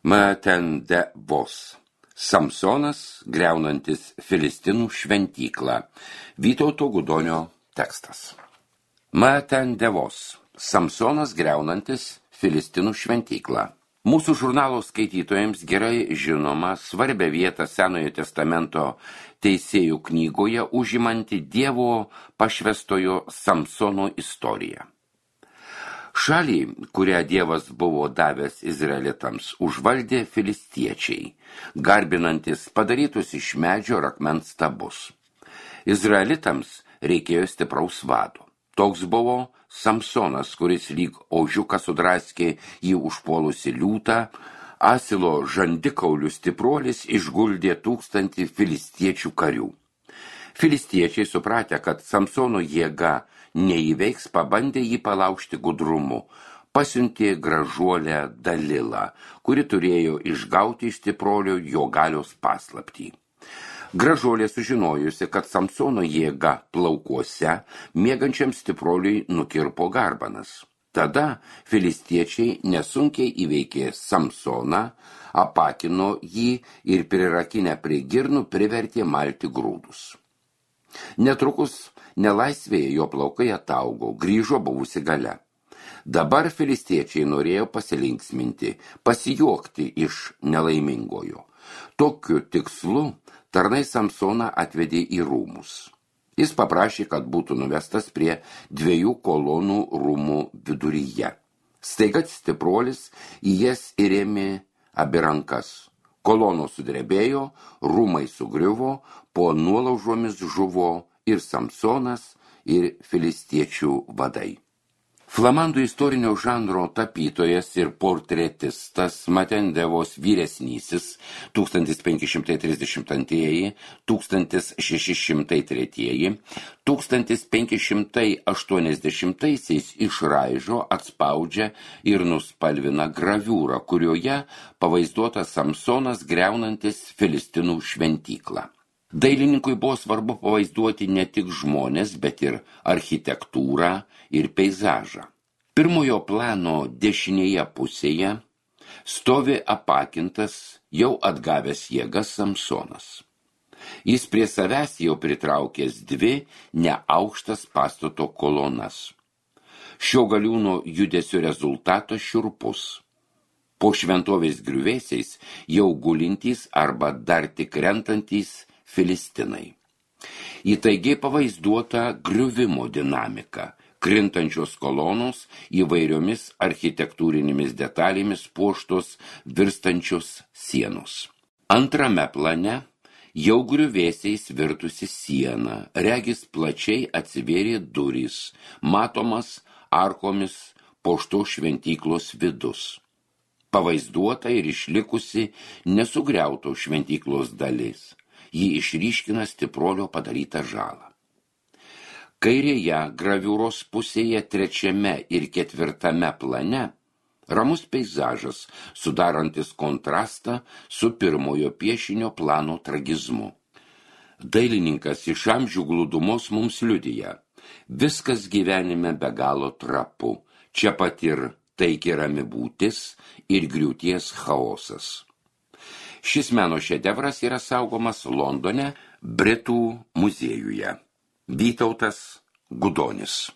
Maten de vos. Samsonas griaunantis Filistinų šventyklą. Vytauto Gudonio tekstas. Maten de vos. Samsonas griaunantis Filistinų šventyklą. Mūsų žurnalo skaitytojams gerai žinoma svarbia vieta Senojo testamento teisėjų knygoje užimanti Dievo pašvęstojo Samsono istorija. Šalį, kurią Dievas buvo davęs izraelitams, užvaldė filistiečiai, garbinantis padarytus iš medžio ir akmens stabus. Izraelitams reikėjo stipraus vado. Toks buvo Samsonas, kuris lyg ožiukas sudraskė jį užpuolusi liūtą, asilo žandikaulių stipruolis išguldė 1000 filistiečių karių. Filistiečiai supratę, kad Samsono jėga neįveiks, pabandė jį palaužti gudrumu, pasiuntė gražuolę Dalilą, kuri turėjo išgauti iš stiprolio jo galios paslaptį. Gražuolė sužinojusi, kad Samsono jėga plaukuose, miegančiam stiproliui nukirpo garbanas. Tada filistiečiai nesunkiai įveikė Samsoną, apakino jį ir prirakinę prie girnų privertė malti grūdus. Netrukus nelaisvėje jo plaukai ataugo, grįžo buvusi galia. Dabar filistiečiai norėjo pasilinksminti, pasijuokti iš nelaimingojo. Tokiu tikslu tarnai Samsoną atvedė į rūmus. Jis paprašė, kad būtų nuvestas prie 2 kolonų rūmų viduryje. Staiga stipruolis į jas įrėmė abi rankas. Kolonos sudrebėjo, rūmai sugriuvo, po nuolaužomis žuvo ir Samsonas, ir filistiečių vadai. Flamandų istorinio žanro tapytojas ir portretistas Maten de vos vyresnysis 1532, 1603, 1580 išraižo, atspaudžia ir nuspalvina graviūrą, kurioje pavaizduotas Samsonas griaunantis Filistinų šventyklą. Dailininkui buvo svarbu pavaizduoti ne tik žmones, bet ir architektūrą ir peizažą. Pirmojo plano dešinėje pusėje stovi apakintas, jau atgavęs jėgas Samsonas. Jis prie savęs jau pritraukęs 2 neaukštas pastato kolonas. Šio galiūno judesio rezultatas šiurpus. Po šventovės griuvėsiais jau gulintys arba dar tik rentantys Filistinai. Įtaigiai pavaizduota griuvimo dinamika, krintančios kolonos įvairiomis architektūrinėmis detalėmis puoštos virstančios sienos. Antrame plane jau griuvėsiais virtusi siena, regis plačiai atsivėrė durys, matomas arkomis puošto šventyklos vidus. Pavaizduota ir išlikusi nesugriauto šventyklos dalis. Ji išryškina stiprolio padarytą žalą. Kairėje graviūros pusėje 3. ir 4. plane ramus peizažas, sudarantis kontrastą su pirmojo piešinio plano tragizmu. Dailininkas iš amžių glūdumos mums liudija: viskas gyvenime be galo trapu, čia pat ir taiki rami būtis ir griūties chaosas. Šis meno šedevras yra saugomas Londone, Britų muziejuje. Vytautas Gudonis.